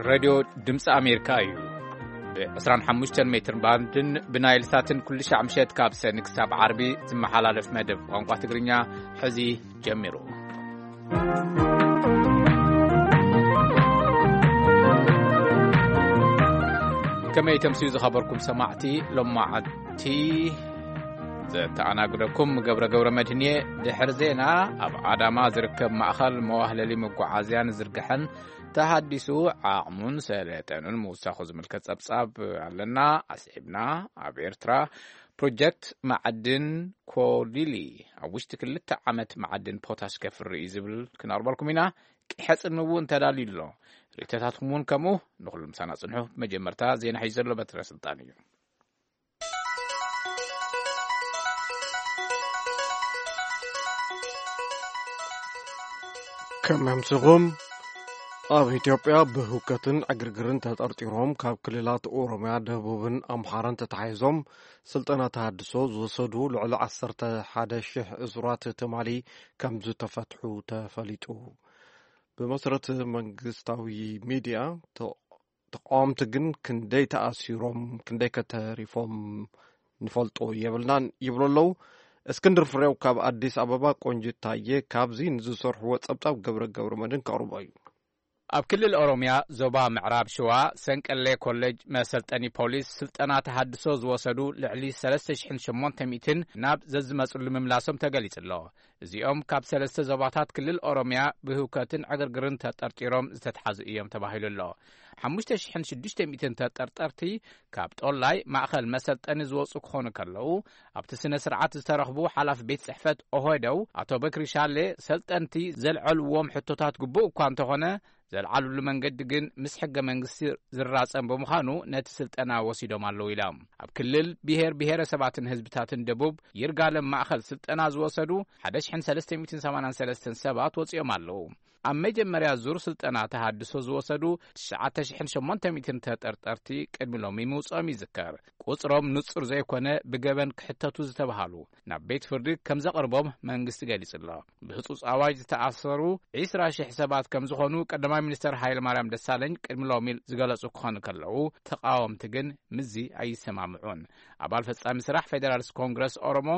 ሬድዮ ድምፂ ኣሜሪካ እዩ። ብ25 ሜትር ባንድን ብናይል ሳትን ኩሉ ሻዕ ምሸት ካብ ሰኒ ክሳብ ዓርቢ ዝመሓላለፍ መደብ ቋንቋ ትግርኛ ሕዚ ጀሚሩ። ከመይ ተምስዩ ዝኸበርኩም ሰማዕቲ፣ ሎማዓንቲ ዘተኣናግደኩም ገብረ ገብረ መድህን እየ። ድሕሪ ዜና፣ ኣብ ኣዳማ ዝርከብ ማእኸል መዋህለሊ መጓዓዝያ ንዝርግሐን ተሃዲሱ ዓቕሙን ሰለጠኑን ምውሳኹ ዝምልከት ጸብጻብ ኣለና። ኣስዒብና፣ ኣብ ኤርትራ ፕሮጀክት መዓድን ኮሊሊ ኣብ ውሽጢ ክልተ ዓመት መዓድን ፖታሽ ከፍሪ እዩ ዝብል ክነቕርበልኩም ኢና። ቂሐ ጽን እውን ተዳልዩ ኣሎ። ርእይቶታትኩም እውን ከምኡ። ንኹሉ ምሳና ጽንሑ። መጀመርታ ዜና ሒዙ ዘሎ በትረ ስልጣን እዩ። ከመምስኹም። ኣብ ኢትዮጵያ ብህውከትን ዕግርግርን ተጠርጢሮም ካብ ክልላት ኦሮምያ፣ ደቡብን ኣምሓራን ተታሒዞም ስልጠና ተሃድሶ ዝወሰዱ ልዕሊ 11,000 እሱራት ትማሊ ከም ዝተፈትሑ ተፈሊጡ። ብመሰረት መንግስታዊ ሚድያ፣ ተ-፣ ተቃወምቲ ግን ክንደይ ተኣሲሮም፣ ክንደይ ከተሪፎም ንፈልጦ የብልናን ይብሉ ኣለዉ። እስክንድር ፍሬው ካብ ኣዲስ ኣበባ፣ ቆንጅት ታየ ካብዚ ንዝሰርሕዎ ጸብጻብ ገብረ ገብረ መድን ከቕርቦ እዩ። ኣብ ክልል ኦሮምያ ዞባ ምዕራብ ሸዋ ሰንቀሌ ኮሌጅ መሰልጠኒ ፖሊስ ስልጠና ተሃድሶ ዝወሰዱ ልዕሊ 3,800 ናብ ዘዝመጽሉ ምምላሶም ተገሊጹ ኣሎ። እዚኦም ካብ ሰለስተ ዞባታት ክልል ኦሮምያ ብህውከትን ዕግርግርን ተጠርጢሮም ዝተትሓዙ እዮም ተባሂሉ ኣሎ። 5,600 ተጠርጠርቲ ካብ ጦላይ ማእኸል መሰልጠኒ ዝወፁ ክኾኑ ከለዉ፣ ኣብቲ ስነ ስርዓት ዝተረኽቡ ሓላፊ ቤት ጽሕፈት ኦሆደው ኣቶ በክሪ ሻሌ፣ ሰልጠንቲ ዘልዐልዎም ሕቶታት ግቡእ እኳ እንተኾነ፣ ዘልዓሉሉ መንገዲ ግን ምስ ሕገ መንግስቲ ዝራጸም ብምዃኑ ነቲ ስልጠና ወሲዶም ኣለዉ ኢሎም። ኣብ ክልል ብሔር ብሔረሰባትን ህዝብታትን ደቡብ ይርጋለም ማእኸል ስልጠና ዝወሰዱ 1,383 ሰባት ወጺኦም ኣለዉ። ኣብ መጀመርያ ዙር ስልጠና ተሃድሶ ዝወሰዱ 9,800 ተጠርጠርቲ ቅድሚ ሎሚ ምውጽኦም ይዝከር። ቁጽሮም ንጹር ዘይኮነ ብገበን ክሕተቱ ዝተባሃሉ ናብ ቤት ፍርዲ ከም ዘቕርቦም መንግስቲ ገሊጹ ኣሎ። ብህጹጽ ኣዋጅ ዝተኣሰሩ 20,000 ሰባት ከም ዝኾኑ ቀዳማይ ሚኒስተር ሃይለማርያም ደሳለኝ ቅድሚ ሎሚ ዝገለጹ ክኾኑ ከለዉ፣ ተቃወምቲ ግን ምስዚ ኣይሰማምዑን። ኣባል ፈጻሚ ስራሕ ፌደራሊስት ኮንግረስ ኦሮሞ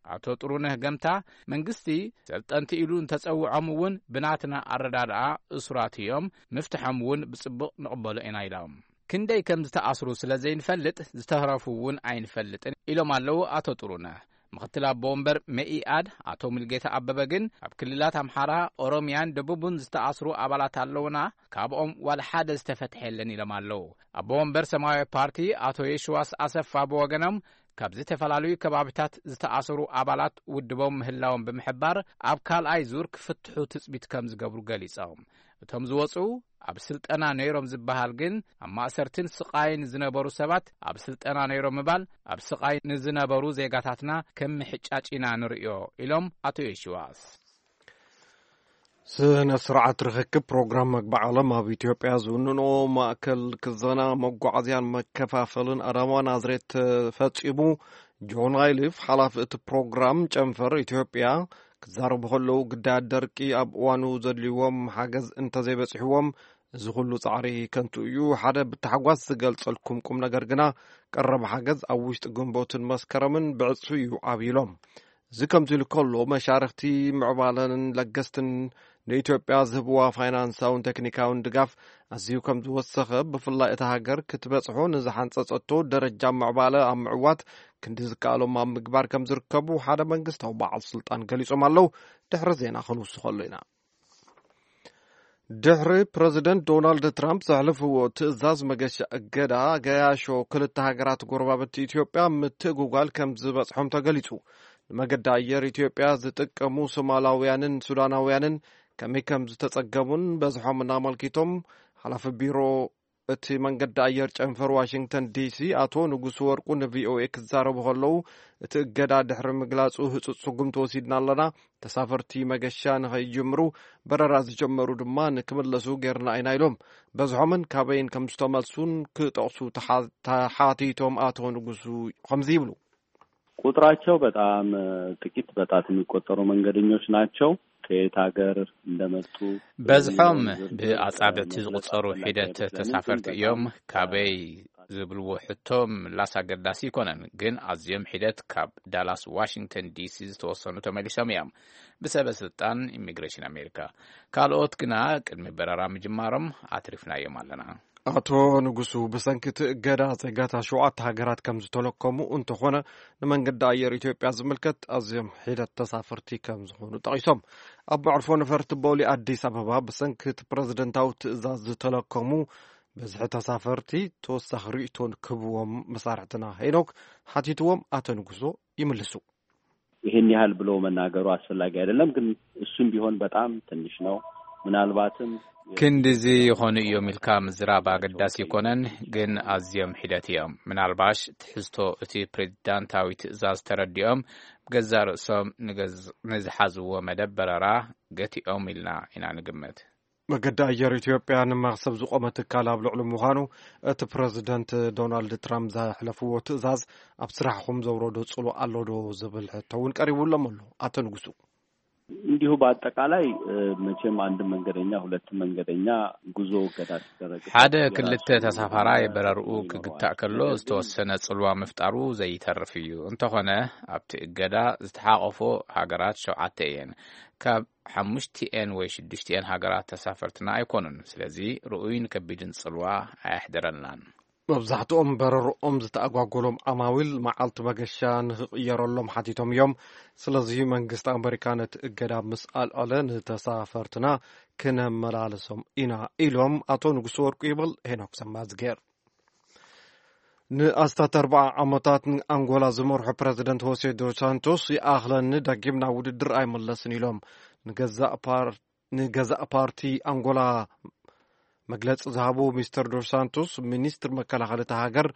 ኣቶ ጥሩነህ ገምታ፣ መንግስቲ ሰልጠንቲ ኢሉ እንተጸውዖም እውን ብናትና ኣረዳድኣ እሱራት እዮም፣ ምፍትሖም እውን ብጽቡቕ ንቕበሎ ኢና ኢሎም። ክንደይ ከም ዝተኣስሩ ስለ ዘይንፈልጥ ዝተረፉ እውን ኣይንፈልጥን ኢሎም ኣለዉ ኣቶ ጥሩነህ። ምኽትል ኣቦ ወንበር መኢኣድ ኣቶ ሙልጌታ ኣበበ ግን ኣብ ክልላት ኣምሓራ፣ ኦሮምያን ደቡብን ዝተኣስሩ ኣባላት ኣለውና፣ ካብኦም ዋላ ሓደ ዝተፈትሐ የለን ኢሎም ኣለዉ። ኣቦ ወንበር ሰማያዊ ፓርቲ ኣቶ የሽዋስ ኣሰፋ ብወገኖም ካብ ዝተፈላለዩ ከባቢታት ዝተኣስሩ ኣባላት ውድቦም ምህላዎም ብምሕባር ኣብ ካልኣይ ዙር ክፍትሑ ትጽቢት ከም ዝገብሩ ገሊጾም። እቶም ዝወጹ ኣብ ስልጠና ነይሮም ዝበሃል ግን ኣብ ማእሰርትን ስቓይን ዝነበሩ ሰባት ኣብ ስልጠና ነይሮም ምባል ኣብ ስቓይ ንዝነበሩ ዜጋታትና ከም ምሕጫጭ ኢና ንርእዮ ኢሎም ኣቶ የሽዋስ። ስነ ስርዓት ርክክብ ፕሮግራም መግቢ ዓለም ኣብ ኢትዮጵያ ዝውንኖ ማእከል ክዘና መጓዓዝያን መከፋፈልን ኣዳማ ናዝሬት ተፈጺሙ። ጆን ኣይሊፍ ሓላፊ እቲ ፕሮግራም ጨንፈር ኢትዮጵያ ክዛረቡ ከለዉ፣ ግዳያት ደርቂ ኣብ እዋኑ ዘድልይዎም ሓገዝ እንተዘይበጺሕዎም እዚ ኩሉ ጻዕሪ ከንቱ እዩ። ሓደ ብታሕጓስ ዝገልጸልኩም ቁም ነገር ግና ቀረብ ሓገዝ ኣብ ውሽጢ ግንቦትን መስከረምን ብዕጽፊ እዩ ዓብዩ ኢሎም። እዚ ከምዚ ኢሉ ከሎ፣ መሻርኽቲ ምዕባለን ለገስትን ንኢትዮጵያ ዝህብዋ ፋይናንሳውን ቴክኒካውን ድጋፍ ኣዝዩ ከም ዝወሰኸ፣ ብፍላይ እታ ሃገር ክትበጽሖ ንዝሓንጸጸቶ ደረጃ ምዕባለ ኣብ ምዕዋት ክንዲ ዝከኣሎም ኣብ ምግባር ከም ዝርከቡ ሓደ መንግስታዊ በዓል ስልጣን ገሊጾም ኣለዉ። ድሕሪ ዜና ክንውስኸሉ ኢና። ድሕሪ ፕረዚደንት ዶናልድ ትራምፕ ዘሕለፍዎ ትእዛዝ መገሻ እገዳ፣ ገያሾ ክልተ ሃገራት ጎረባብቲ ኢትዮጵያ ምትእጉጓል ከም ዝበጽሖም ተገሊጹ። ንመገዲ ኣየር ኢትዮጵያ ዝጥቀሙ ሶማላውያንን ሱዳናውያንን ከመይ ከም ዝተጸገሙን በዝሖምን ኣመልኪቶም፣ ሓላፊ ቢሮ እቲ መንገዲ ኣየር ጨንፈር ዋሽንግተን ዲሲ ኣቶ ንጉሱ ወርቁ ንቪኦኤ ክዛረቡ ከለዉ፣ እቲ እገዳ ድሕሪ ምግላጹ ህጹጽ ስጉምቲ ወሲድና ኣለና፣ ተሳፈርቲ መገሻ ንኸይጅምሩ፣ በረራ ዝጀመሩ ድማ ንክምለሱ ጌርና ኢና ኢሎም። በዝሖምን ካበይን ከም ዝተመልሱን ክጠቕሱ ተሓ-፣ ተሓቲቶም ኣቶ ንጉሱ ከምዚ ይብሉ። ቁጥራቸው በጣም ጥቂት፣ በጣት የሚቆጠሩ መንገደኞች ናቸው። ከየት ሀገር እንደመጡ በዝሖም ዝርዝር ብኣጻብዕቲ ዝቁጸሩ ሒደት ተሳፈርቲ እዮም። ካበይ ዝብልዎ ሕቶ ምላስ ኣገዳሲ ኣይኮነን፣ ግን ኣዝዮም ሒደት ካብ ዳላስ ዋሽንግተን ዲሲ ዝተወሰኑ ተመሊሶም እዮም። ብሰበ ስልጣን ኢሚግሬሽን ኣሜሪካ፣ ካልኦት ግና ቅድሚ በረራ ምጅማሮም ኣትሪፍናዮም ኣለና። ኣቶ ንጉሱ፣ ብሰንኪ እቲ እገዳ ዜጋታት ሸውዓተ ሃገራት ከም ዝተለከሙ፣ እንተኾነ ንመንገዲ ኣየር ኢትዮጵያ ዝምልከት ኣዝዮም ሒደት ተሳፈርቲ ከም ዝኾኑ ጠቒሶም። ኣብ መዕርፎ ነፈርቲ ቦሌ ኣዲስ ኣበባ ብሰንኪ እቲ ፕረዚደንታዊ ትእዛዝ ዝተለከሙ ብዝሒ ተሳፈርቲ ተወሳኺ ርእይቶ ክህብዎም መሳርሕትና ሄኖክ ሓቲትዎም፣ ኣቶ ንጉሶ ይምልሱ። ይህን ያህል ብሎ መናገሩ አስፈላጊ አይደለም፣ ግን እሱም ቢሆን በጣም ትንሽ ነው። ምናልባትም ክንድዚ ይኾኑ እዮም ኢልካ ምዝራብ ኣገዳሲ ኣይኮነን፣ ግን ኣዝዮም ሒደት እዮም። ምናልባሽ ትሕዝቶ እቲ ፕሬዚዳንታዊ ትእዛዝ ተረዲኦም ብገዛእ ርእሶም ንገዝ-፣ ንዝሓዝዎ መደብ በረራ ገቲኦም ኢልና ኢና ንግምት። መገዲ ኣየር ኢትዮጵያ ንመኽሰብ ዝቖመ ትካል ኣብ ልዕሊ ምዃኑ፣ እቲ ፕረዚደንት ዶናልድ ትራምፕ ዘሕለፍዎ ትእዛዝ ኣብ ስራሕኹም ዘውረዶ ጽልዋ ኣሎ ዶ ዝብል ሕቶ እውን ቀሪቡሎም ኣሎ። ኣቶ ንጉሱ። እንዲሁ በአጠቃላይ፣ እ፣ መቼም አንድ መንገደኛ፣ ሁለት መንገደኛ ጉዞ እገዳ ሲደረግ ሓደ የራሱ ክልተ ተሳፋራይ የራሱ በረርኡ ተጽዕኖ ክግታእ ይኖረዋል። ከሎ ነገር ግን ዝተወሰነ ጽልዋ ምፍጣሩ ዘይተርፍ እዩ። እንተኾነ ኣብቲ እገዳ ዝተሓቆፎ ሃገራት ሸውዓተ እየን። ካብ ሓሙሽቲኤን ወይ ሽዱሽቲኤን ሃገራት ተሳፈርትና ኣይኮኑን። ስለዚ ርኡይን ከቢድን ጽልዋ ኣየሕደረልናን። መብዛሕትኦም በረርኦም ዝተኣጓጎሎም ዓማዊል መዓልቲ መገሻ ንኽቕየረሎም ሓቲቶም እዮም። ስለዚ መንግስቲ ኣመሪካ ነቲ እገዳ ምስ ኣልዐለ ንተሳፈርትና ክነመላልሶም ኢና ኢሎም ኣቶ ንጉሱ ወርቁ ይብል ሄኖክ ሰማዝጌር። ንኣስታት ኣርባዓ ዓመታት ንኣንጎላ ዝመርሑ ፕረዚደንት ሆሴ ዶ ሳንቶስ ይኣኽለኒ፣ ዳግም ናብ ውድድር ኣይመለስን ኢሎም ንገዛእ ፓር-፣ ንገዛእ ፓርቲ ኣንጎላ መግለጺ ዝሃቡ ሚስተር ዶ ሳንቶስ፣ ሚኒስትር መከላኸሊ እታ ሃገር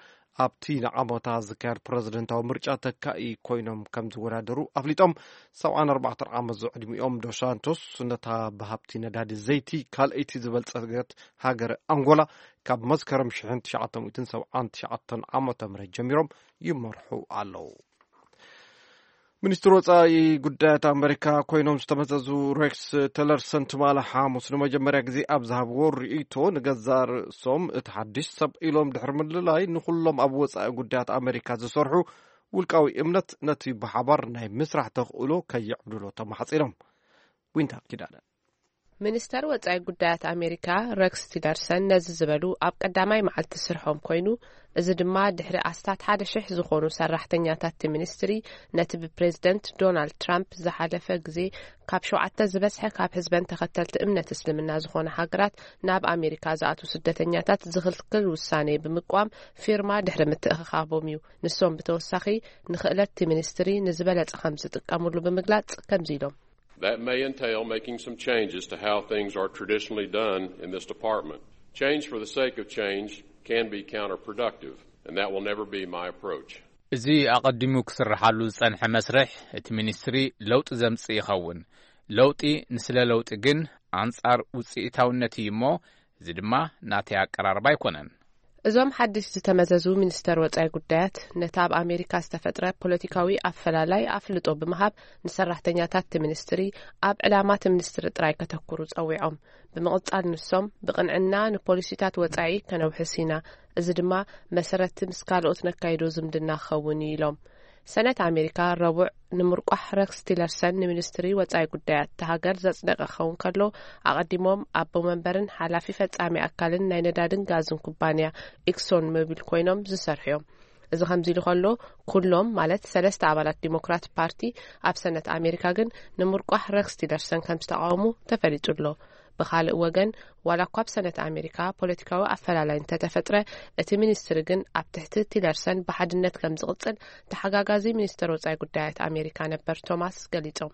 ኣብቲ ንዓመታ ዝካየድ ፕረዚደንታዊ ምርጫ ተካኢ ኮይኖም ከም ዝወዳደሩ ኣፍሊጦም። ሰብዓን ኣርባዕተን ዓመት ዝዕድሚኦም ዶ ሳንቶስ ነታ ብሃብቲ ነዳዲ ዘይቲ ካልኣይቲ ዝበልጸገት ሃገር ኣንጎላ ካብ መስከረም ሽሕን ትሽዓተ ሚእትን ሰብዓን ትሽዓተን ዓመተ ምህረት ጀሚሮም ይመርሑ ኣለዉ። ሚኒስትር ወጻኢ ጉዳያት ኣመሪካ ኮይኖም ዝተመዘዙ ሬክስ ቲለርሰን ትማሊ ሓሙስ ንመጀመርያ ግዜ ኣብ ዝሃብዎ ርእይቶ፣ ንገዛእ ርእሶም እቲ ሓድሽ ሰብ ኢሎም ድሕሪ ምልላይ ንኹሎም ኣብ ወጻኢ ጉዳያት ኣመሪካ ዝሰርሑ ውልቃዊ እምነት ነቲ ብሓባር ናይ ምስራሕ ተኽእሎ ከየዕብድሎ ተማሕጺኖም። ዊንታ ኪዳነ። ሚኒስተር ወጻኢ ጉዳያት ኣሜሪካ ረክስ ቲለርሰን ነዚ ዝበሉ ኣብ ቀዳማይ መዓልቲ ስርሖም ኮይኑ፣ እዚ ድማ ድሕሪ ኣስታት ሓደ ሽሕ ዝኾኑ ሰራሕተኛታት እቲ ሚኒስትሪ ነቲ ብፕሬዝደንት ዶናልድ ትራምፕ ዝሓለፈ ግዜ ካብ ሸውዓተ ዝበዝሐ ካብ ህዝበን ተኸተልቲ እምነት እስልምና ዝኾነ ሃገራት ናብ ኣሜሪካ ዝኣትዉ ስደተኛታት ዝኽልክል ውሳኔ ብምቋም ፊርማ ድሕሪ ምትእኽኻቦም እዩ። ንሶም ብተወሳኺ ንኽእለት እቲ ሚኒስትሪ ንዝበለጸ ከም ዝጥቀምሉ ብምግላጽ ከምዚ ኢሎም። That may entail making some changes to how things are traditionally done in this department. Change for the sake of change can be counterproductive, and that will never be my approach. እዚ ኣቐዲሙ ክስርሓሉ ዝጸንሐ መስርሕ እቲ ሚኒስትሪ ለውጢ ዘምጽእ ይኸውን። ለውጢ ንስለ ለውጢ ግን ኣንጻር ውጽኢታውነት እዩ እሞ፣ እዚ ድማ ናተይ ኣቀራርባ ኣይኮነን። እዞም ሓድሽ ዝተመዘዙ ሚኒስተር ወጻኢ ጉዳያት ነቲ ኣብ ኣሜሪካ ዝተፈጥረ ፖለቲካዊ ኣፈላላይ ኣፍልጦ ብምሃብ፣ ንሰራሕተኛታት እቲ ሚኒስትሪ ኣብ ዕላማ እቲ ሚኒስትሪ ጥራይ ከተኩሩ ጸዊዖም። ብምቕጻል ንሶም ብቕንዕና ንፖሊሲታት ወጻኢ ከነውሕስ ኢና፣ እዚ ድማ መሰረቲ ምስ ካልኦት ነካይዶ ዝምድና ክኸውን እዩ ኢሎም። ሰነት ኣሜሪካ ረቡዕ ንምርቋሕ ረክስ ቲለርሰን ንሚኒስትሪ ወጻኢ ጉዳያት እታ ሃገር ዘጽደቀ ክኸውን ከሎ፣ ኣቐዲሞም ኣቦ መንበርን ሓላፊ ፈጻሚ ኣካልን ናይ ነዳድን ጋዝን ኩባንያ ኤክሶን ሞቢል ኮይኖም ዝሰርሑ እዮም። እዚ ከምዚ ኢሉ ከሎ፣ ኩሎም ማለት ሰለስተ ኣባላት ዲሞክራት ፓርቲ ኣብ ሰነት ኣሜሪካ ግን ንምርቋሕ ረክስ ቲለርሰን ከም ዝተቃወሙ ተፈሊጡ ኣሎ። ብኻልእ ወገን፣ ዋላ እኳ ኣብ ሰነት ኣሜሪካ ፖለቲካዊ ኣፈላላይ እንተተፈጥረ፣ እቲ ሚኒስትሪ ግን ኣብ ትሕቲ ቲለርሰን ብሓድነት ከም ዝቕጽል ተሓጋጋዚ ሚኒስተር ወጻኢ ጉዳያት ኣሜሪካ ነበር ቶማስ ገሊጾም።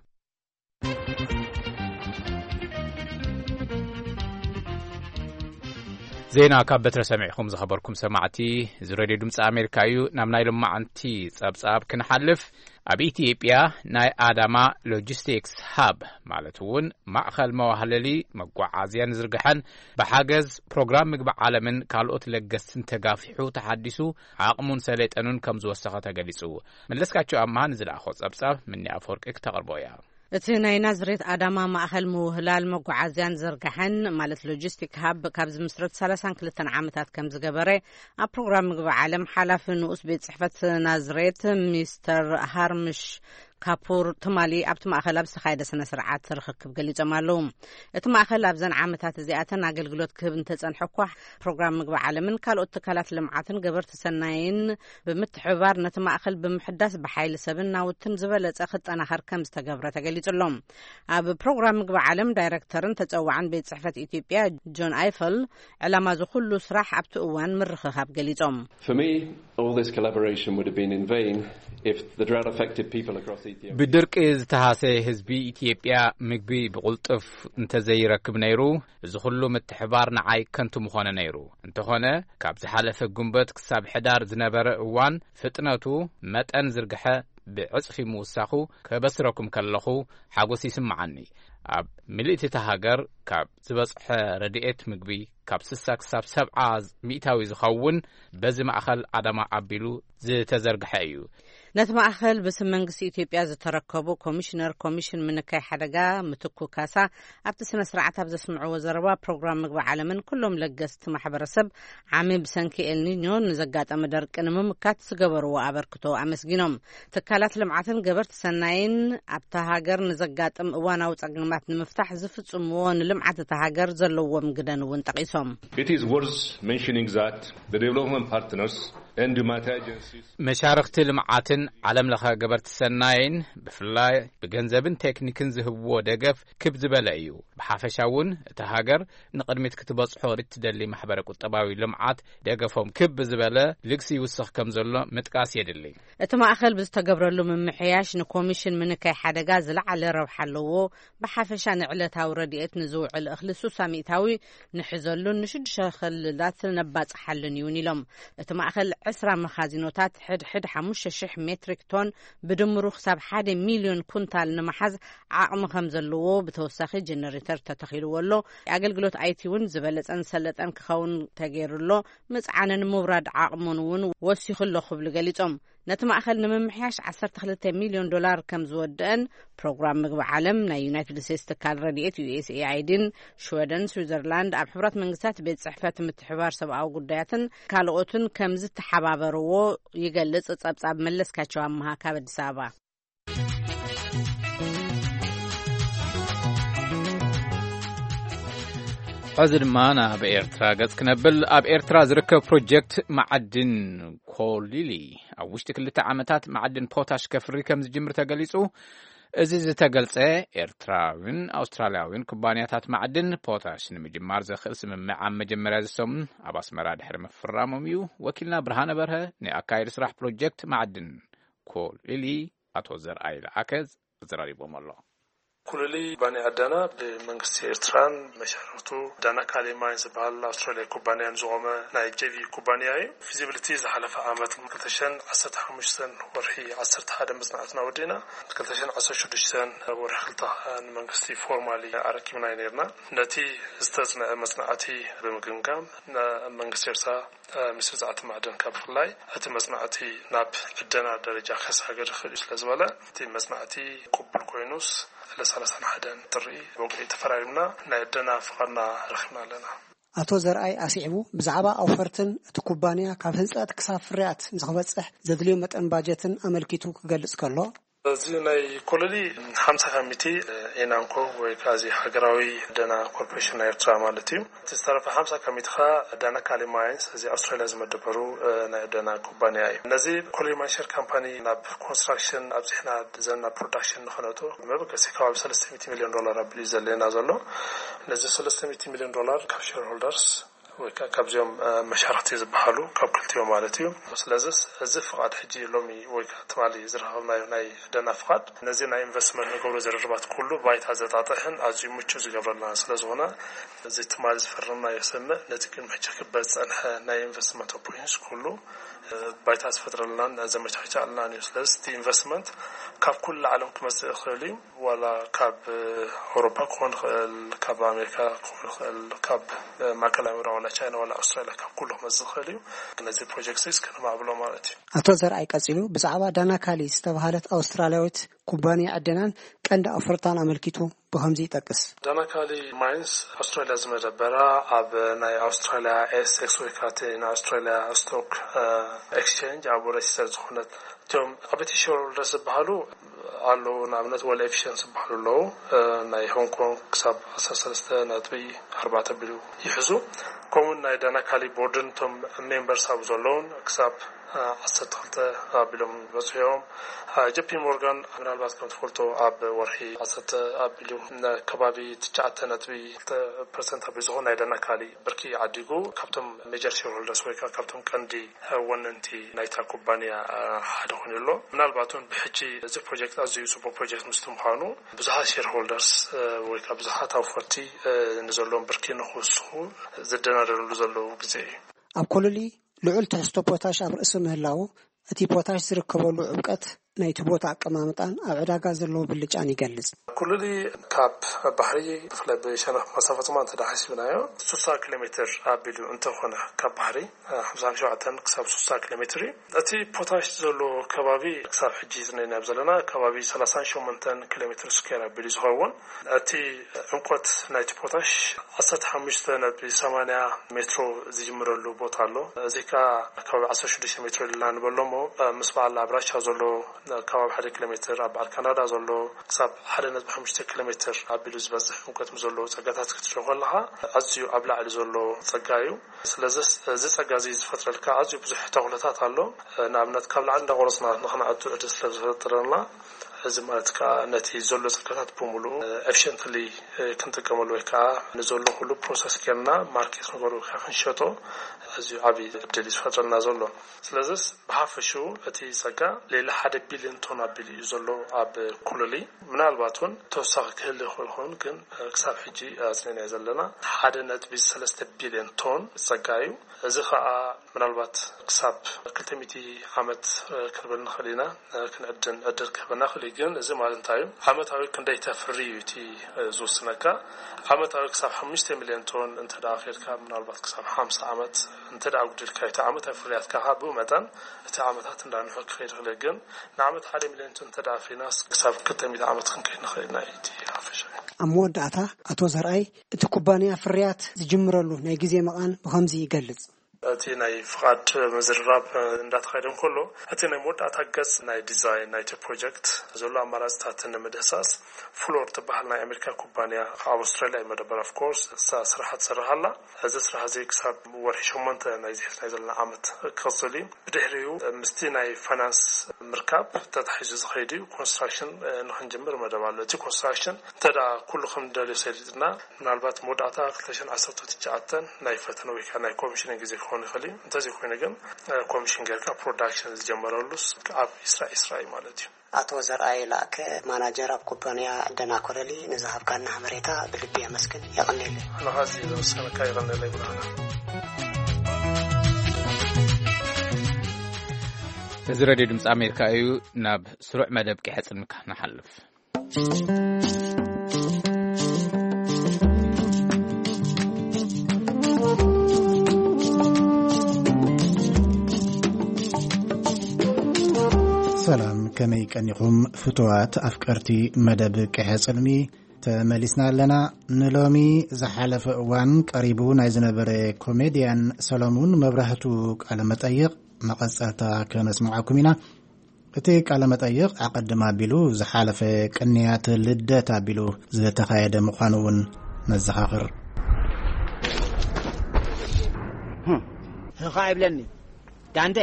ዜና ካብ በትረ ሰሚዕኹም ዝኸበርኩም ሰማዕቲ፣ እዚ ሬድዮ ድምፂ ኣሜሪካ እዩ። ናብ ናይ ሎማዓንቲ ጸብጻብ ክንሓልፍ፣ ኣብ ኢትዮጵያ ናይ ኣዳማ ሎጂስቲክስ ሃብ፣ ማለት እውን ማእኸል መዋህለሊ መጓዓዝያን ዝርግሐን፣ ብሓገዝ ፕሮግራም ምግቢ ዓለምን ካልኦት ለገስትን ተጋፊሑ ተሓዲሱ ዓቕሙን ሰሌጠኑን ከም ዝወሰኸ ተገሊጹ። መለስካቸው ኣምሃ ንዝለኣኾ ጸብጻብ ምኒ ኣፈወርቂ ክተቕርቦ እያ። እቲ ናይ ናዝሬት ኣዳማ ማእኸል ምውህላል መጓዓዝያን ዝርጋሐን፣ ማለት ሎጂስቲክ ሃብ፣ ካብ ዝምስረት ሰላሳን ክልተን ዓመታት ከም ዝገበረ ኣብ ፕሮግራም ምግቢ ዓለም ሓላፊ ንኡስ ቤት ጽሕፈት ናዝሬት ሚስተር ሃርምሽ ካፑር ትማሊ ኣብቲ ማእኸል ኣብ ዝተኻየደ ስነ ስርዓት ርኽክብ ገሊጾም ኣለዉ። እቲ ማእኸል ኣብዘን ዓመታት እዚኣተን ኣገልግሎት ክህብ እንተጸንሐ እኳ፣ ፕሮግራም ምግቢ ዓለምን ካልኦት ትካላት ልምዓትን ገበርቲ ሰናይን ብምትሕብባር ነቲ ማእኸል ብምሕዳስ ብሓይሊ ሰብን ናውትን ዝበለጸ ክጠናኸር ከም ዝተገብረ ተገሊጹ ኣሎ። ኣብ ፕሮግራም ምግቢ ዓለም ዳይረክተርን ተጸዋዕን ቤት ጽሕፈት ኢትዮጵያ ጆን ኣይፈል፣ ዕላማ እዚ ኩሉ ስራሕ ኣብቲ እዋን ምርኽኻብ ገሊጾም። For me, all this collaboration would have been in vain if the drought affected people across Ethiopia. ብድርቂ ዝተሃሰየ ህዝቢ ኢትዮጵያ ምግቢ ብቕልጡፍ እንተዘይረክብ ነይሩ፣ እዚ ኩሉ ምትሕባር ንዓይ ከንቱ ምኾነ ነይሩ። እንተኾነ፣ ካብ ዝሓለፈ ጉንበት ክሳብ ሕዳር ዝነበረ እዋን ፍጥነቱ መጠን ዝርግሐ ብዕጽፊ ምውሳኹ ከበስረኩም ከለኹ ሓጎስ ይስምዓኒ። ኣብ ምልእቲ እታ ሃገር ካብ ዝበጽሐ ረድኤት ምግቢ ካብ ስሳ ክሳብ ሰብዓ ሚእታዊ ዝኸውን በዚ ማእኸል ኣዳማ ኣቢሉ ዝተዘርግሐ እዩ። ነቲ ማእኸል ብስም መንግስቲ ኢትዮጵያ ዝተረከቡ ኮሚሽነር ኮሚሽን ምንካይ ሓደጋ ምትኩ ካሳ ኣብቲ ስነ ስርዓት ኣብ ዘስምዕዎ ዘረባ፣ ፕሮግራም ምግቢ ዓለምን ኩሎም ለገስቲ ማሕበረሰብ ዓሚ ብሰንኪ ኤልኒኞ ንዘጋጠመ ደርቂ ንምምካት ዝገበርዎ ኣበርክቶ ኣመስጊኖም። ትካላት ልምዓትን ገበርቲ ሰናይን ኣብታ ሃገር ንዘጋጥም እዋናዊ ጸገማት ንምፍታሕ ዝፍጽምዎ ንልምዓት እታ ሃገር ዘለዎም ግደን እውን ጠቒሶም። It is worth mentioning that the development partners and humanitarian agencies መሻርኽቲ ልምዓትን ዓለም ለኸ ገበርቲ ሰናይን ብፍላይ ብገንዘብን ቴክኒክን ዝህብዎ ደገፍ ክብ ዝበለ እዩ። ብሓፈሻ እውን እታ ሃገር ንቕድሚት ክትበጽሖ እትደሊ ማሕበረ ቁጠባዊ ልምዓት ደገፎም ክብ ዝበለ ልግሲ ይውስኽ ከም ዘሎ ምጥቃስ የድሊ። እቲ ማእኸል ብዝተገብረሉ ምምሕያሽ ንኮሚሽን ምንካይ ሓደጋ ዝለዓለ ረብሓ ኣለዎ። ብሓፈሻ ንዕለታዊ ረድኤት ንዝውዕል እኽሊ ሱሳ ሚእታዊ ንሕዘሉን ንሽዱሽተ ክልላት ነባጽሓሉን እውን ኢሎም። እቲ ማእኸል ዕስራ መኻዚኖታት ሕድሕድ ሓሙሽተ ሽሕ ሜትሪክ ቶን ብድምሩ ክሳብ ሓደ ሚልዮን ኩንታል ንምሓዝ ዓቕሚ ከም ዘለዎ፣ ብተወሳኺ ጀነሬተር ተተኺልዎ ኣሎ። ኣገልግሎት ኣይቲ እውን ዝበለጸን ሰለጠን ክኸውን ተገይሩ ኣሎ። ምጽዓንን ምውራድ ዓቕሙን እውን ወሲኹ ኣሎ ክብሉ ገሊጾም። ነቲ ማእኸል ንምምሕያሽ ዓሰርተ ክልተ ሚልዮን ዶላር ከም ዝወደአን ፕሮግራም ምግቢ ዓለም፣ ናይ ዩናይትድ ስቴትስ ትካል ረድኤት ዩ ኤስ ኤ ኣይ ዲን ሽወደን፣ ስዊዘርላንድ፣ ኣብ ሕቡራት መንግስታት ቤት ጽሕፈት ምትሕባር ሰብኣዊ ጉዳያትን ካልኦትን ከም ዝተሓባበርዎ ይገልጽ። ጸብጻብ መለስካቸው ኣመሃ ካብ ኣዲስ ኣበባ። ሕዚ ድማ ናብ ኤርትራ ገጽ ክነብል። ኣብ ኤርትራ ዝርከብ ፕሮጀክት መዓድን ኮሊሊ ኣብ ውሽጢ ክልተ ዓመታት መዓድን ፖታሽ ከፍሪ ከም ዝጅምር ተገሊጹ። እዚ ዝተገልጸ፣ ኤርትራዊን ኣውስትራልያዊን ኩባንያታት መዓድን ፖታሽ ንምጅማር ዘኽእል ስምምዕ ኣብ መጀመርያ እዚ ሰሙን ኣብ ኣስመራ ድሕሪ ምፍራሞም እዩ። ወኪልና ብርሃነ በርሀ ንኣካየዲ ስራሕ ፕሮጀክት መዓድን ኮሊሊ ኣቶ ዘርኣይ ለኣከ ኣዘራሪቦም ኣሎ። ኩልሊ ባኒ ኣዳና ብመንግስቲ ኤርትራን መሻርክቱ ዳና ካሊ ማይንስ ዝበሃል ኣውስትራልያ ኩባንያን ዝቖመ ናይ ጄቪ ኩባንያ እዩ። ፊዚቢሊቲ ዝሓለፈ ዓመት ክልተ ሽሕን ዓሰርተ ሓሙሽተን ወርሒ ዓሰርተ ሓደ መጽናዕትና ወዲእና፣ ክልተ ሽሕን ዓሰርተ ሽዱሽተን ወርሒ ክልተ ንመንግስቲ ፎርማሊ ኣረኪብና ነርና። ነቲ ዝተጽንዐ መጽናዕቲ ብምግምጋም፣ ንመንግስቲ ኤርትራ ሚኒስትሪ ጸዓትን ማዕድን ካብ ብፍላይ እቲ መጽናዕቲ ናብ ዕደና ደረጃ ከሳገር ይኽእል እዩ ስለ ዝበለ፣ እቲ መጽናዕቲ ቅቡል ኮይኑስ፣ ዕለት ሰላሳን ሓደን ጥሪ ብወግዒ ተፈራሪምና ናይ ዕደና ፍቓድና ረኺብና ኣለና። ኣቶ ዘርኣይ ኣስዒቡ፣ ብዛዕባ ኣውፈርትን እቲ ኩባንያ ካብ ህንጸት ክሳብ ፍርያት ንኽበጽሕ ዘድልዮ መጠን ባጀትን ኣመልኪቱ ክገልጽ ከሎ፣ እዚ ናይ ኮለሊ ሓምሳ ካብ ሚእቲ ኤናንኮ ወይ ከዓ እዚ ሃገራዊ ደና ኮርፖሬሽን ናይ ኤርትራ ማለት እዩ። እቲ ዝተረፈ ሓምሳ ካብ ሚእቲ ከዓ ዳና ካሊ ማይንስ፣ እዚ ኣውስትራልያ ዝመደበሩ፣ እ፣ ናይ ደና ኩባንያ እዩ። ነዚ ኮለሊ ማይንስ ሼር ካምፓኒ ናብ ኮንስትራክሽን ኣብዚሕና ዘና ፕሮዳክሽን ንኸነእቶ መበገሲ ከባቢ ሰለስተ ሚእቲ ሚልዮን ዶላር ኣቢሉ እዩ ዘድልየና ዘሎ። ነዚ ሰለስተ ሚእቲ ሚልዮን ዶላር ካብ ሼር ሆልደርስ ወይ ከዓ ካብዚኦም፣ እ፣ መሻርክቲ ዝበሃሉ ካብ ክልቲኦም ማለት እዩ። ስለዚስ እዚ ፍቓድ ሕጂ ሎሚ ወይ ከዓ ትማሊ ዝረኸብናዮ ናይ ደና ፍቓድ ነዚ ናይ ኢንቨስትመንት ንገብሮ ዝርርባት ኩሉ ባይታ ዘጣጥሕን ኣዝዩ ምቹእ ዝገብረልና ስለ ዝኾነ፣ እዚ ትማሊ ዝፈረምናዮ ስምምዕ ነቲ ቅድሚ ሕጂ ክበ ዝጸንሐ ናይ ኢንቨስትመንት ኦፖርቹኒቲስ ኩሉ ባይታ ዝፈጥረልናን ዘመቻቻልናን እዩ። ስለዚ እቲ ኢንቨስትመንት ካብ ኩሉ ዓለም ክመፅእ ይኽእል እዩ። ዋላ ካብ ኣውሮፓ ክኾን ይኽእል፣ ካብ ኣሜሪካ ክኾን ይኽእል፣ ካብ ማእከላይ ምብራቕ ዋላ ቻይና ዋላ ኣውስትራሊያ፣ ካብ ኩሉ ክመፅእ ይኽእል እዩ። ነዚ ፕሮጀክት እዚ እስከ ነማዕብሎ ማለት እዩ። ኣቶ ዘርኣይ ቀጺሉ ብዛዕባ ዳናካሊ ዝተባህለት ኣውስትራልያዊት ኩባንያ ዕደናን ቀንዲ ኣፍርታን ኣመልኪቱ ብኸምዚ ይጠቅስ። ዳናካሊ ማይንስ ኣውስትራልያ ዝመደበራ ኣብ ናይ ኣውስትራልያ ኤስኤክስ ወይ ከዓ እቲ ናይ ኣውስትራልያ ስቶክ ኤክስቼንጅ ኣብ ሬጅስተር ዝኾነት፣ እቶም ዓበይቲ ሼርሆልደርስ ዝበሃሉ ኣለዉ። ንኣብነት ወል ኤፊሽንስ ዝበሃሉ ኣለዉ። ናይ ሆንግ ኮንግ ክሳብ ዓሰርተ ሰለስተ ነጥቢ ኣርባዕተ ቢሉ ይሕዙ። ከምኡውን ናይ ዳናካሊ ቦርድን እቶም ሜምበርስ ኣብ ዘለውን ክሳብ ዓሰርተ ክልተ ኣቢሎም በፂሖም። ጀፒ ሞርጋን ምናልባት ከም ትፈልጦ ኣብ ወርሒ ዓሰርተ ኣቢሉ ከባቢ ትሽዓተ ነጥቢ ክልተ ፐርሰንት ኣቢሉ ዝኾን ናይ ዳናካሊ ብርኪ ዓዲጉ ካብቶም ሜጀር ሼርሆልደርስ ወይ ከዓ ካብቶም ቀንዲ ወነንቲ ናይታ ኩባንያ ሓደ ኮይኑ ኣሎ። ምናልባት እውን ብሕጂ እዚ ፕሮጀክት ኣዝዩ ፅቡቅ ፕሮጀክት ምስቲ ምዃኑ ብዙሓት ሼርሆልደርስ ወይ ከዓ ብዙሓት ኣውፈርቲ ንዘለዎም ብርኪ ንክውስኹ ዝደናደርሉ ዘለዉ ግዜ እዩ። ኣብ ኮሎሊ ልዑል ትሕዝቶ ፖታሽ ኣብ ርእሲ ምህላዉ፣ እቲ ፖታሽ ዝርከበሉ ዕምቀት ናይቲ ቦታ ኣቀማምጣን ኣብ ዕዳጋ ዘለዎ ብልጫን ይገልጽ። ኩሉሊ ካብ ባሕሪ ብፍላይ ብሸነኽ መሳፈ ጸማ እንተ ደኣ ሓሲብናዮ፣ ስሳ ኪሎ ሜትር ኣቢሉ እንተኾነ ካብ ባሕሪ፣ ሓምሳን ሸውዓተን ክሳብ ስሳ ኪሎ ሜትር እዩ። እቲ ፖታሽ ዘሎ ከባቢ ክሳብ ሕጂ ዝነናዮ ዘለና ከባቢ ሰላሳን ሸሞንተን ኪሎ ሜትር ስኩዌር ኣቢሉ ዝኸውን። እቲ ዕምቆት ናይቲ ፖታሽ ዓሰርተ ሓሙሽተ ነጥቢ ሰማንያ ሜትሮ ዝጅምረሉ ቦታ ኣሎ። እዚ ከኣ ከባቢ ዓሰርተ ሽዱሽተ ሜትሮ ኢልና ንበሎ እሞ፣ ምስ በዓል ኣብ ራሻ ዘሎ ከባቢ ሓደ ኪሎ ሜትር፣ ኣብ በዓል ካናዳ ዘሎ ክሳብ ሓደ ነጥቢ ሓሙሽተ ኪሎ ሜትር ኣቢሉ ዝበጽሕ ዕምቆት ምስ ዘለዎ ጸጋታት ክትሪኦ ከለኻ፣ ኣዝዩ ኣብ ላዕሊ ዘሎ ጸጋ እዩ። ስለዚ እዚ ጸጋ እዚ ዝፈጥረልካ ኣዝዩ ብዙሕ ተኽእሎታት ኣሎ። ንኣብነት ካብ ላዕሊ እንዳቆረጽና ንኽንኣቱ ዕድል ስለ ዝፈጥረልና፣ እዚ ማለት ከኣ ነቲ ዘሎ ጸጋታት ብምሉኡ ኤፊሽንትሊ ክንጥቀመሉ ወይ ከኣ ንዘሎ ኩሉ ፕሮሰስ ጌርና ማርኬት ንገብሮ ወይ ከኣ ክንሸጦ ኣዝዩ ዓቢ ዕድል እዩ ዝፈጥረልና ዘሎ። ስለዚስ ብሓፈሽኡ እቲ ጸጋ ሌላ ሓደ ቢልዮን ቶን ኣቢሉ እዩ ዘሎ ኣብ ኩሉሊ። ምናልባት እውን ተወሳኺ ክህሉ ይኽእል ይኸውን፣ ግን ክሳብ ሕጂ ኣጽኒዕናዮ ዘለና ሓደ ነጥቢ ሰለስተ ቢልዮን ቶን ጸጋ እዩ። እዚ ኸኣ ምናልባት ክሳብ ክልተ ሚእቲ ዓመት ክንብል ንኽእል ኢና፣ ክንዕድን ዕድል ክህበና ይኽእል እዩ። ግን እዚ ማለት እንታይ እዩ? ዓመታዊ ክንደይ ተፍሪ እዩ እቲ ዝውስነካ። ዓመታዊ ክሳብ ሓሙሽተ ሚልዮን ቶን እንተ ደኣ ኬድካ፣ ምናልባት ክሳብ ሓምሳ ዓመት እንተ ደኣ ኣጉዲልካዮ እቲ ዓመታዊ ፍርያትካ ከኣ ብኡ መጠን እቲ ዓመታት እንዳንውሐ ክኸይድ ይኽእል እዩ። ግን ንዓመት ሓደ ሚልዮን ቶን እንተ ደኣ ኣፍሪናስ ክሳብ ክልተ ሚእቲ ዓመት ክንከይድ ንኽእል ኢና እዩ እቲ ሓፈሻዊ። ኣብ መወዳእታ ኣቶ ዘርኣይ እቲ ኩባንያ ፍርያት ዝጅምረሉ ናይ ግዜ መቓን ብኸምዚ ይገልጽ። እቲ ናይ ፍቓድ ምዝርራብ እንዳተኻየደ እንከሎ፣ እቲ ናይ መወዳእታ ገጽ ናይ ዲዛይን ናይቲ ፕሮጀክት ዘሎ ኣማራጽታት ንምድህሳስ ፍሎር ትበሃል ናይ ኣሜሪካ ኩባንያ ኣብ ኣውስትራልያ እዩ መደበር። ኦፍ ኮርስ እሳ ስራሓ ትሰርሕ ኣላ። እዚ ስራሕ እዚ ክሳብ ወርሒ ሸሞንተ ናይዚ ሒዝናዮ ዘለና ዓመት ክቕጽል እዩ። ብድሕሪኡ ምስቲ ናይ ፋይናንስ ምርካብ ተታሒዙ ዝኸይድ እዩ። ኮንስትራክሽን ንኽንጅምር መደብ ኣሎ። እቲ ኮንስትራክሽን እንተ ደኣ ኩሉ ከም ንደልዮ ሰሊጥና፣ ምናልባት መወዳእታ ክልተ ሽሕን ዓሰርተ ትሽዓተን ናይ ፈተነ ወይ ከዓ ናይ ኮሚሽን ግዜ ክኸውን ይኽእል እዩ። እንተዘይኮይኑ ግን ኮሚሽን ጌርካ ፕሮዳክሽን ዝጀመረሉስ ኣብ ዒስራ ዒስራ እዩ ማለት እዩ። ኣቶ ዘርኣይ ላእከ፣ ማናጀር ኣብ ኩባንያ ደናኮረሊ፣ ንዝሃብካና ሓበሬታ ብልቢ የመስግን። የቐንየለይ። ንኻዚ ዝወሰነካ የቐንየለይ ብርሃና። እዚ ሬድዮ ድምፂ ኣሜሪካ እዩ። ናብ ስሩዕ መደብ ቅሐ ጽልምካ ንሓልፍ። ሰላም፣ ከመይ ቀኒኹም ፍቱዋት ኣፍቀርቲ መደብ ቅሐ ጽልሚ? ተመሊስና ኣለና። ንሎሚ ዝሓለፈ እዋን ቀሪቡ ናይ ዝነበረ ኮሜድያን ሰሎሙን መብራህቱ ቃለ መጠይቕ መቐጸልታ ከነስምዓኩም ኢና። እቲ ቃለ መጠይቕ ኣቐድም ኣቢሉ ዝሓለፈ ቅንያት ልደት ኣቢሉ ዝተኻየደ ምዃኑ እውን ነዘኻኽር። ህኻ ይብለኒ ዳንዴ።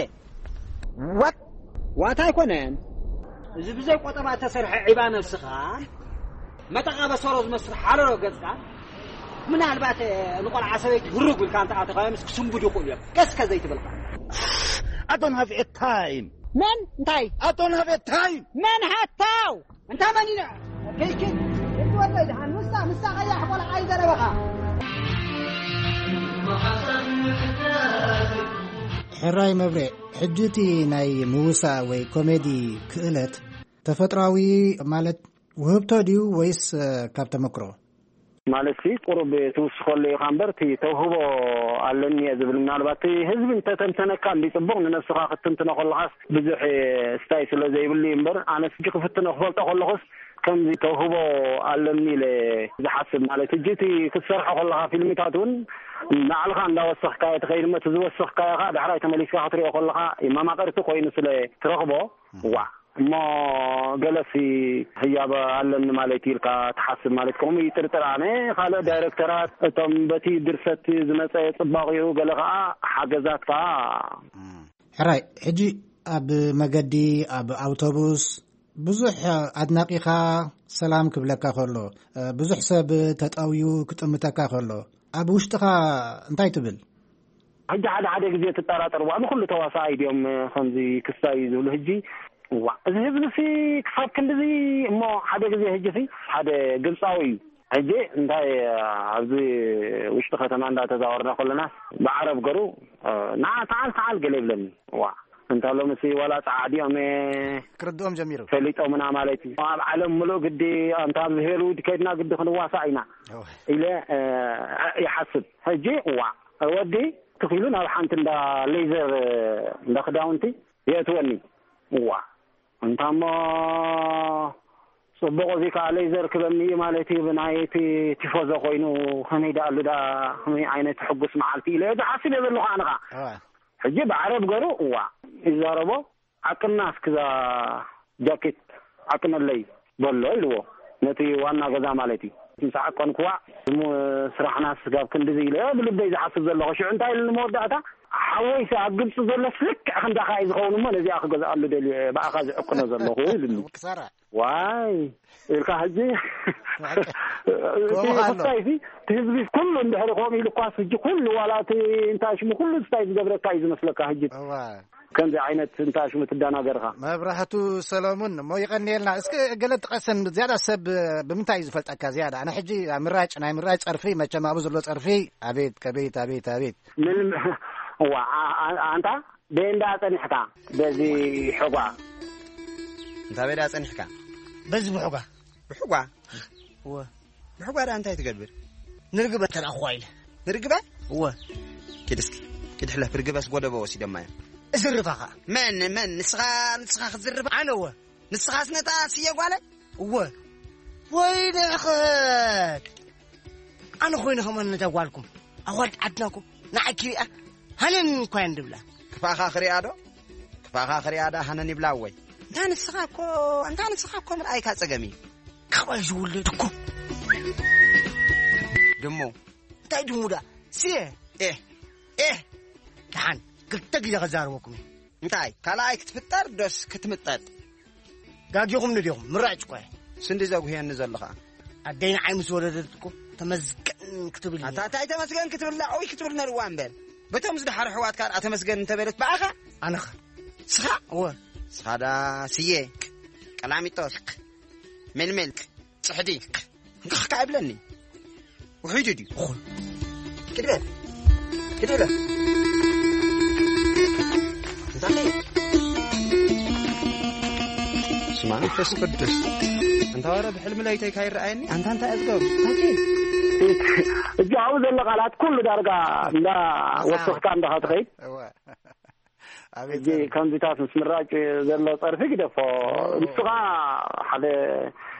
ዋት? ዋት ኣይኮነን። እዚ ብዘይ ቆጠባ እተሰርሐ ዒባ ነብስኻ፣ መጠቓ በሰሮ ዝመስል ሓረሮ ገጽካ፣ ምናልባት ንቆልዓ ሰበይቲ ህሩግ ኢልካ እንተ ኣተኻዮ ምስ ክስንቡድ ይኽእሉ እዮም። ቀስ ከ ዘይትብልካ። I don't have a time. መን? እንታይ? I don't have a time. መን ሃታው? እንታ መን ኢለ? ከይከይ፣ ከይትወደይ ደሓን። ንሳ፣ ንሳ ቀያሕ ቆልዓ እዩ ዘረበኻ። ሕራይ መብሬ፣ ሕጂ እቲ ናይ ምውሳእ ወይ ኮሜዲ ክእለት ተፈጥራዊ ማለት ውህብቶ ድዩ ወይስ፣ እ፣ ካብ ተመክሮ? ማለት ቁሩብ ትውስኸሉ ኢኻ እምበር፣ እቲ ተውህቦ ኣለኒ እየ ዝብል፣ ምናልባት እቲ ህዝቢ እንተተንተነካ እንዲ ጽቡቕ፣ ንነብስኻ ክትትንትኖ ከለኻስ ብዙሕ ስታይ ስለ ዘይብሉ እዩ እምበር፣ ኣነስ ሕጂ ክፍትኖ ክፈልጦ ከለኹስ ከምዚ ተውህቦ ኣለኒ ኢለ ዝሓስብ። ማለት ሕጂ እቲ ክትሰርሖ ከለኻ ፊልምታት እውን ንባዕልኻ እንዳወሰኽካዮ ትኸይድ እሞ፣ እቲ ዝወሰኽካዮ ኸኣ ዳሕራይ ተመሊስካ ክትሪኦ ከለኻ መማቕርቲ ኮይኑ ስለ ትረኽቦ፣ ዋዕ እሞ ገለሲ ህያብ ኣለኒ ማለት ኢልካ ትሓስብ ማለት ከምኡ ይጥርጥር። ኣነ ካልእ ዳይረክተራት እቶም በቲ ድርሰት ዝመጸ ጽባቕኡ ገለ ኸኣ ሓገዛት ከኣ። ሕራይ፣ ሕጂ ኣብ መገዲ፣ ኣብ ኣውቶቡስ ብዙሕ ኣድናቂኻ ሰላም ክብለካ ከሎ፣ ብዙሕ ሰብ ተጠውዩ ክጥምተካ ከሎ፣ ኣብ ውሽጥኻ እንታይ ትብል? ሕጂ ሓደ ሓደ ግዜ ትጠራጠር፣ "ዋዕ ንኹሉ ተዋሳኣይ ድዮም ከምዚ ክስታይ ዝብሉ?" ሕጂ ዋዕ እዚ ህዝቢ ሲ ክሳብ ክንድዚ እሞ፣ ሓደ ግዜ ሕጂ ሲ ሓደ ግብጻዊ እዩ። ሕጂ እንታይ ኣብዚ ውሽጢ ከተማ እንዳተዛወርና ከለና ብዓረብ ገሩ፣ "ና ተዓል ተዓል" ገለ ይብለኒ። ዋዕ እንታ ሎምሲ ዋላ ጸዓዲኦም ክርድኦም ጀሚሩ። ፈሊጦምና ማለት እዩ። ኣብ ዓለም ምሉእ ግዲ፣ ኣንታ ኣብዚ ሄሉድ ከይድና ግዲ ክንዋሳእ ኢና እወ። ኢለ፣ እ፣ ይሓስብ። ሕጂ፣ ዋዕ፣ ወዲ ትኽኢሉ ናብ ሓንቲ እንዳ ሌዘር፣ እንዳ ክዳውንቲ የእትወኒ። ዋዕ፣ እንታሞ ጽቡቕ፣ እዚ ከኣ ሌዘር ክበኒ እዩ ማለት እዩ። ብናይ እቲ ቲፎዞ ኮይኑ ከመይ ደኣሉ ደኣ፣ ከመይ ዓይነት ሕጉስ መዓልቲ ኢለ ዝሓስብ እየ ዘለኹ ኣነ ኸኣ። እወ። ሕጂ ብዓረብ ገሩ፣ ዋዕ፣ ይዛረቦ። "ዓቅና እስክዛ ጃኬት ዓቅነለይ" በሎ ኢልዎ፣ ነቲ ዋና ገዛ ማለት እዩ። ምስ ዓቀንክዋ፣ "እሞ ስራሕና ስጋብ ክንድዚ" ኢለ እየ ብልበይ ዝሓስብ ዘለኹ። ሽዑ እንታይ ኢሉ ንመወዳእታ፣ "ሓወይሲ ኣብ ግብፂ ዘሎስ ልክዕ ክንዳኻ እዩ ዝኸውን እሞ ነዚኣ ክገዝኣሉ ደልየ ብኣኻ ዝዕቅኖ ዘለኹ" ኢሉኒ። ክሳራ። ዋይ ኢልካ ሕጂ፣ ከምኡ እቲ ከሎ። ስታይሲ፣ እቲ ህዝቢ ኩሉ እንድሕሪ ከምኡ ኢሉ እኳስ፣ ሕጂ ኩሉ ዋላ እቲ እንታይ ሽሙ ኩሉ ስታይ ዝገብረካ እዩ ዝመስለካ። ሕጂ እዋ። ከምዚ ዓይነት እንታይ ሽሙ ትደናገርካ። መብራህቱ ሰለሙን፣ እሞ ይቐንየልና። እስኪ ገለ ጥቀሰን፣ ዝያዳ ሰብ ብምንታይ እዩ ዝፈልጠካ ዝያዳ? ኣነ ሕጂ ኣብ ምራጭ፣ ናይ ምራጭ ጸርፊ፣ መቸም ኣብኡ ዘሎ ጸርፊ፣ ኣቤት፣ ከቤት፣ ኣቤት፣ ኣቤት። ምን፣ እዋ፣ ኣ-፣ ኣ-፣ ኣንታ፣ በየንዳ ጸኒሕካ? በዚ ሕጓ። እንታ በየንዳ ጸኒሕካ? በዚ ብሕጓ። ብሕጓ? እወ። ብሕጓ ደኣ እንታይ ትገብር? ንርግበ ተረኣኹዋ ኢለ። ንርግበ? እወ። ኪድ እስኪ። ኪድ ሕለፍ፣ ርግበስ ጎደቦ ወሲዶማ እዮም። እዝርባ ኸኣ። መን፣ መን? ንስኻ፣ ንስኻ ክትዝርባ? ኣነ እወ። ንስኻስ ነታ ስየ ጓለ? እወ። ወይ ደኸት። ኣነ ኮይነ ከማን ነታ ጓልኩም። ኣዋልድ ዓድናኩም። ንዓኪ ሪኣ። ሃነን እኳ እየን ድብላ። ክፋኻ ክሪኣ ዶ? ክፋኻ ክሪኣ ዳ ሃነን ይብላ ወይ? እንታ ንስኻ እኮ፣ እንታ ንስኻ እኮ ምርኣይካ ጸገም እዩ። ካባይ ዝውለድ እኮ። ድሙ። እንታይ ድሙ ዳ? ስየ። ኤህ። ኤህ። ደሓን፣ ክልተ ግዜ ከዛርበኩም እየ። እንታይ? ካልኣይ ክትፍጠር ዶስ ክትምጠጥ? ጋጊኹም ንዲኹም፣ ምራጭ እኮ እየ። ስንዲ ዘጉህየኒ ዘሎ ኸኣ። ኣደይ ንዓይ ምስ ወለደት እኮ ተመስገን ክትብል እያ። ኣታ እንታይ ተመስገን ክትብል? ላዕዊ ክትብል ነርዋ እምበር። በቶም ዝደሓሩ ኣሕዋትካ ደኣ ተመስገን እንተበለት ብኣኻ? ኣነኸ? ስኻ? እወ። ስኻ ደኣ ስየ፣ ቀላሚጦስ፣ ሜልሜል፣ ጽሕዲ፣ እንካኽ ከኣ ይብለኒ። ውሒዱ ድዩ? ኹን። ኪድ በል። ኪድ በል። እንታይ? ስማ መንፈስ ቅዱስ። ኣንታ ወረ ብሕልሚ ለይተይ ካይረኣየኒ። ኣንታ እንታይ እዝገሩ? እንታይ? እጅ ኣብኡ ዘሎ ቃላት ኩሉ ዳርጋ እንዳ ወሰኽካ እንዳ ትኸይድ። እወ። ኣቤት ሕጂ ጸርፊ። ከምዚታት ምስ ምራጭ ዘሎ ጸርፊ ግደፎ። ኦ። ንስኻ ሓደ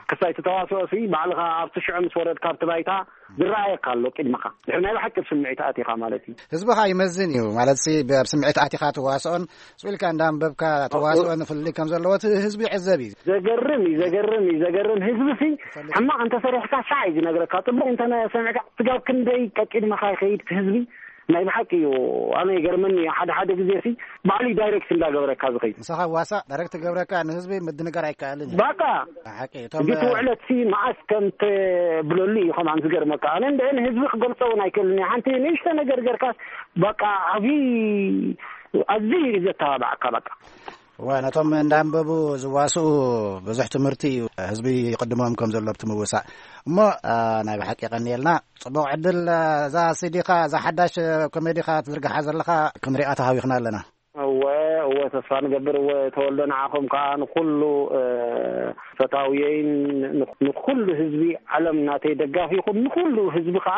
ክሳይ እቲ ተዋስኦ ሲ ባዕልኻ ኣብቲ ሽዑ ምስ ወረድካ ኣብቲ ባይታ ዝረኣየካ ኣሎ ቅድመኻ። ድሕሪ ናይ ብሓቂ ኣብ ስምዒት ኣቲኻ ማለት እዩ። ህዝብኻ ይመዝን እዩ ማለት ሲ፣ ብ-፣ ኣብ ስምዒት ኣቲኻ ትዋስኦን፣ ስቕ ኢልካ እንዳንበብካ ትዋስኦን ፍልልይ ከም ዘለዎ እቲ ህዝቢ ይዕዘብ እዩ። ዘገርም እዩ፣ ዘገርም እዩ፣ ዘገርም። ህዝቢ ሲ ይፈልጥ። ሕማቕ እንተሰሪሕካ ሻዕ እዩ ዝነግረካ፣ ጽቡቕ እንተሰሚዕካ ስጋብ ክንደይ ቀቂድመኻ ይኸይድ እቲ ህዝቢ። ናይ ብሓቂ እዩ። ኣነ ይገርመኒ እዩ። ሓደ ሓደ ግዜ ሲ ባዕሉ ዳይሬክት እንዳገበረካ ዝኸይድ። ንስኻ ዋሳ ዳይሬክት ገብረካ ንህዝቢ ምድንጋር ኣይከኣልን እዩ። በቃ። ብሓቂ፣ እቶም እጅ ትውዕለት ሲ መዓስ ከም ተብለሉ እዩ ከማን ዝገርመካ። ኣነ እንደ ንህዝቢ ክገልጾ እውን ኣይክእልን እየ። ሓንቲ ንእሽቶ ነገር ገርካስ በቃ ዓብዪ፣ ኣዝዩ እዩ ዘተባብዓካ በቃ። እዋ፣ ነቶም እንዳንበቡ ዝዋስኡ ብዙሕ ትምህርቲ እዩ ህዝቢ ይቕድሞም ከም ዘሎ ኣብቲ ምውሳእ። እሞ፣ አ፣ ናይ ብሓቂ የቐንየልና። ጽቡቕ ዕድል። አ፣ እዛ ሲዲኻ፣ እዛ ሓዳሽ ኮሜዲኻ ትዝርግሓ ዘለኻ ክንሪኣ ተሃዊኽና ኣለና። እወ፣ እወ፣ ተስፋ ንገብር። እወ፣ ተወልዶ፣ ንዓኹም ከኣ ንኹሉ፣ እ፣ ፈታውየይን ን-፣ ንኹሉ ህዝቢ ዓለም ናተይ ደጋፊ ይኹን፣ ንኹሉ ህዝቢ ከኣ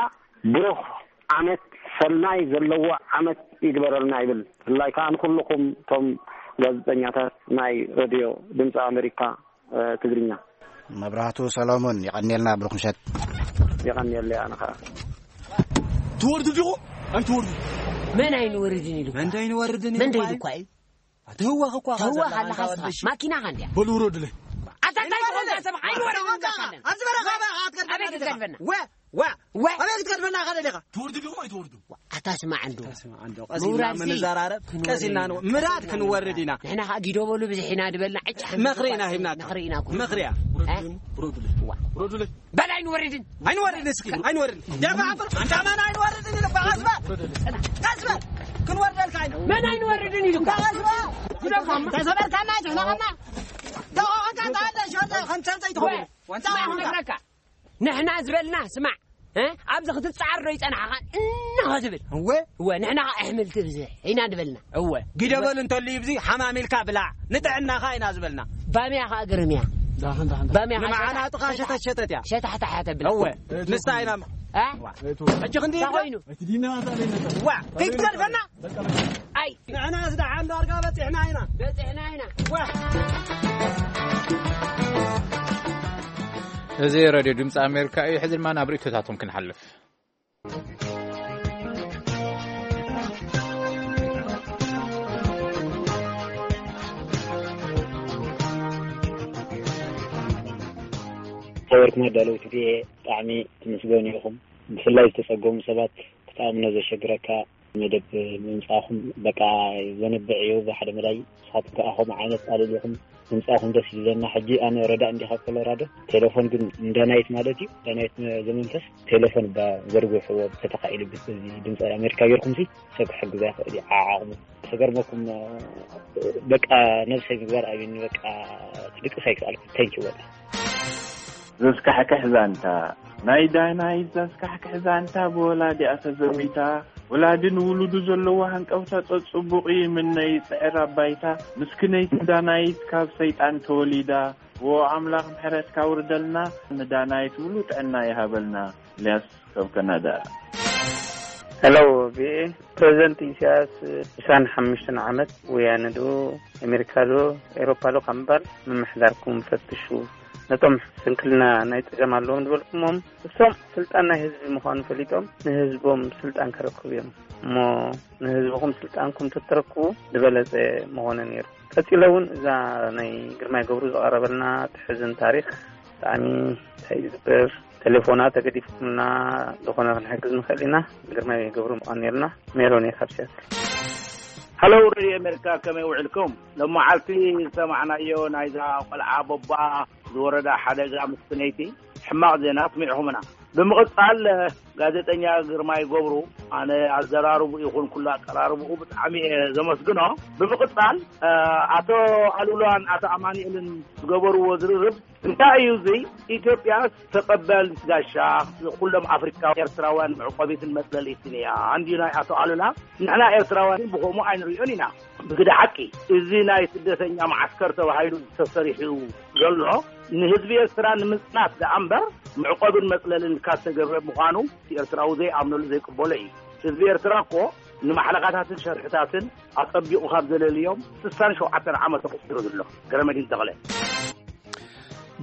ብሩኽ ዓመት፣ ሰናይ ዘለዎ ዓመት ይግበረልና ይብል። ብፍላይ ከኣ ንኹልኹም እቶም ጋዜጠኛታት ናይ ሬድዮ ድምፂ ኣሜሪካ፣ እ፣ ትግርኛ። መብራህቱ ሰሎሞን፣ የቐንየልና፣ ብሩኽ ምሸት። የቐንየለይ ኣነ ኸኣ። ትወርዱ ዲኹ? ኣይትወርዱ። መን ኣይንወርድን ኢሉ? መን ኣይንወርድን መን ኢሉ? ደይሉ እኳ እዩ። ትህወኽ እኳ ተህወኽ ዘላ ኣለኻ ኣንታ ስኻ። ወደሽ። ማኪናኻ እንድያ። በሉ ውረዱለይ። ኣታ እንታይ ዝኾንካ ሰብ? ኣይንወርድን ኢልካ ኣለና። ኣብዚ በረኻ ኣበይ ክትገድፈና? ኣበይ ክትገድፈና? ወ፣ ወ፣ ወ። ኣበይ ክትገድፈና ኢኻ ደሊኻ? ትወርዱ ዲኹም ኣይትወርዱ? ኣታ ስማዕ እንዶ። ኣታ ስማዕ እንዶ። ቀስ ኢልና ምውራድ ሲ ምንዛራረብ፣ ክንወርድ ቀስ ኢልና ኢና። ንወ-፣ ምራድ ክንወርድ ኢና። ንሕና ኸኣ ጊዶ በሉ ብዝሕ ኢና ድበልና፣ ዕጭ ሓንቲ ምኽሪ ኢና እኳ ሂብናካ። ምኽሪ ኢና እኮ። ምኽሪ እያ። እ? ውረዱለይ። ውረዱለይ። በል ኣይንወርድን። ኣይንወርድን እስኪ፣ ኣይንወርድን። ደፋ ዓፍር፣ ኣንታ መን ኣይንወርድን ኢሉ፣ በል ቀስ በል። ቀስ በል። ክንወርደልካ ኢና። መን ኣይንወርድን ኢሉ? በል ቀስ በል። ተሰበርካና፣ ጭሕለቐና። ተቆቐካ፣ ተኣለ፣ ሸወደ፣ ከም ተንተይ ትኸውን። ወ-፣ ዋንታ ስማዕ፣ ዋንታ። ነግረካ። ንሕና ዝበልና ስማዕ፣ እ? ኣብዚ ክትጻዓር ዶ ይጸናሕኻን እንሆ ዝብል? እወ። እወ፣ ንሕና ኸኣ ኣሕምልቲ ብዝሕ ኢና ዝበልና። እወ። ጊደበል እንተልዩ ብዚ ሓማም ኢልካ ብላዕ፣ ንጥዕናኻ ኢና ዝበልና። ባምያ ኸኣ ግርምያ። ዳኸን፣ ዳኸን፣ ዳኸን። ባምያ ኸኣ ንመዓናጥኻ ሸታሕ-፣ ሸተት ሸተት እያ። ሸታሕታሕ እያ ተብል። እወ። ንሳ ኢና። እ? ሕጂ ክንዲ እንታይ ኢልካ? ኮይኑ? እቲ ዲና ኣታ ለይነታ። ዋ፣ ከይትገድፈና? ኣይ። ንሕናስ ደሓን ዳርጋ በጺሕና ኢና። በጺሕና ኢና። ዋ። እዚ ሬድዮ ድምፂ ኣሜሪካ እዩ። ሕዚ ድማ ናብ ርእይቶታቶም ክንሓልፍ። ሓበርኩም ኣዳለውቲ ቪኦኤ ብጣዕሚ ትምስገኑ ኢኹም። ብፍላይ ዝተጸገሙ ሰባት ክትኣምኖ ዘሸግረካ መደብ ምምጻእኹም በቃ ዘንብዕ እዩ። ብሓደ መዳይ ንስኻትኩም ከኣ ከምኡ ዓይነት ኣልኢልኩም ምምጻእኹም ደስ ይብለና። ሕጂ ኣነ ረዳእ እንዲ ካብ ኮሎራዶ፣ ቴሌፎን ግን ንዳናይት ማለት እዩ፣ ዳናይት ዘመንፈስ ቴሌፎን እባ ዘርግሕዎ ተተኻኢሉ፣ እዚ ድምፂ ኣሜሪካ ጌርኩም ሲ ሰብ ክሕግዛ ይኽእል እዩ። ዓዓቕሙ ክገርመኩም በቃ ነብሰይ ምግባር ኣብኒ በቃ ክድቅስ ኣይክኣልኩ። Thank you በቃ። ዘስካሕክሕ ዛንታ ናይ ዳናይት፣ ዘስካሕክሕ ዛንታ ብወላዲኣ ተዘሚታ። ወላዲ ንውሉዱ ዘለዎ ሃንቀውታ ጸጽቡቕ ይምነ ይጽዕር ኣባይታ። ምስክነይቲ ዳናይት ካብ ሰይጣን ተወሊዳ። ዎ ኣምላኽ ምሕረትካ ውርደልና፣ ንዳናይት ሙሉ ጥዕና ይሃበልና። ኢልያስ ካብ ካናዳ። ሄሎ ቪኤ፣ ፕረዚደንት ኢሳያስ ዕስራን ሓሙሽተን ዓመት ወያነ ዶ ኣሜሪካ ዶ ኤሮፓ ዶ ካብ ምባል ምምሕዳርኩም ፈትሹ። ነቶም ስንክልና ናይ ጸገም ኣለዎም ዝበልኩሞም እሶም ስልጣን ናይ ህዝቢ ምዃኑ ፈሊጦም ንህዝቦም ስልጣን ከረክቡ እዮም እሞ ንህዝብኹም ስልጣንኩም ተተረክቡ ዝበለጸ ምኾነ ነይሩ። ቀጺለ እውን እዛ ናይ ግርማይ ገብሩ ዝቐረበልና ትሕዝን ታሪኽ ብጣዕሚ እንታይ እዩ ዝግበር ተሌፎና ተገዲፍኩምና ዝኾነ ክንሕግዝ ንኽእል ኢና። ግርማይ ገብሩ ምዃን ነርና ሜሮን እየ ካብ ሲያትል። ሃሎ ሬድዮ ኣሜሪካ ከመይ ውዕልኩም? ሎመዓልቲ ዝሰማዕናዮ ናይዛ ቆልዓ ቦባ ዝወረዳ ሓደጋ ምስክነይቲ ሕማቕ ዜና ኣስሚዕኹምና። ብምቕጻል ጋዜጠኛ ግርማይ ገብሩ ኣነ ኣዘራርቡ ይኹን ኩሉ ኣቀራርብኡ ብጣዕሚ እየ ዘመስግኖ። ብምቕጻል ኣቶ ኣሉላን ኣቶ ኣማኑኤልን ዝገበርዎ ዝርርብ እንታይ እዩ እዚ? ኢትዮጵያ ተቐባሊት ጋሻ ንኩሎም ኣፍሪካውያን ኤርትራውያን መዕቆቢትን መጽለሊትን እያ እንድዩ ናይ ኣቶ ኣሉላ። ንሕና ኤርትራውያን ብኸምኡ ኣይንሪኦን ኢና። ብግደ ሓቂ እዚ ናይ ስደተኛ መዓስከር ተባሂሉ ተሰሪሑ ዘሎ ንህዝቢ ኤርትራ ንምጽናት ደኣ እምበር መዕቆብን መጽለልን ካብ ዝተገብረ ምዃኑ እቲ ኤርትራዊ ዘይኣምነሉ ዘይቅበሎ እዩ። ህዝቢ ኤርትራ እኮ ንማሕለኻታትን ሸርሕታትን ኣጸቢቑ ካብ ዘለልዮም ስሳን ሸውዓተን ዓመት ኣቑጺሩ ዘሎ። ገረመዲን ተኽለ።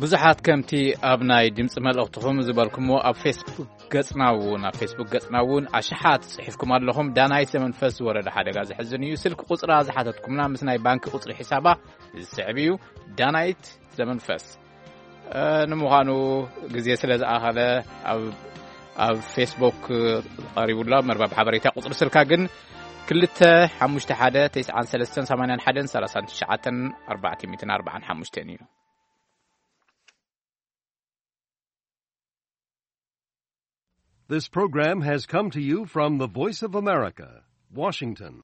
ብዙሓት ከምቲ ኣብ ናይ ድምፂ መልእኽትኹም ዝበልኩምዎ ኣብ ፌስቡክ ገፅና እውን ኣብ ፌስቡክ ገፅና እውን ኣሽሓት ፅሒፍኩም ኣለኹም። ዳናይት ዘመንፈስ ዝወረደ ሓደጋ ዘሕዝን እዩ። ስልኪ ቁፅራ ዝሓተትኩምና ምስ ናይ ባንኪ ቁፅሪ ሒሳባ ዝስዕብ እዩ። ዳናይት ዘመንፈስ። ንምዃኑ ግዜ ስለ ዝኣኸለ ኣብ ፌስቡክ ቀሪቡላ መርባብ ሓበሬታ ቁፅሪ ስልካ ግን ክልተ ሓሙሽተ ሓደ ተስዓን ሰለስተን ሰማንያን ሓደን ሰላሳን ትሽዓተን ኣርባዕተ ሚእትን ኣርባዓን ሓሙሽተን እዩ። This program has come to you from the Voice of America, Washington.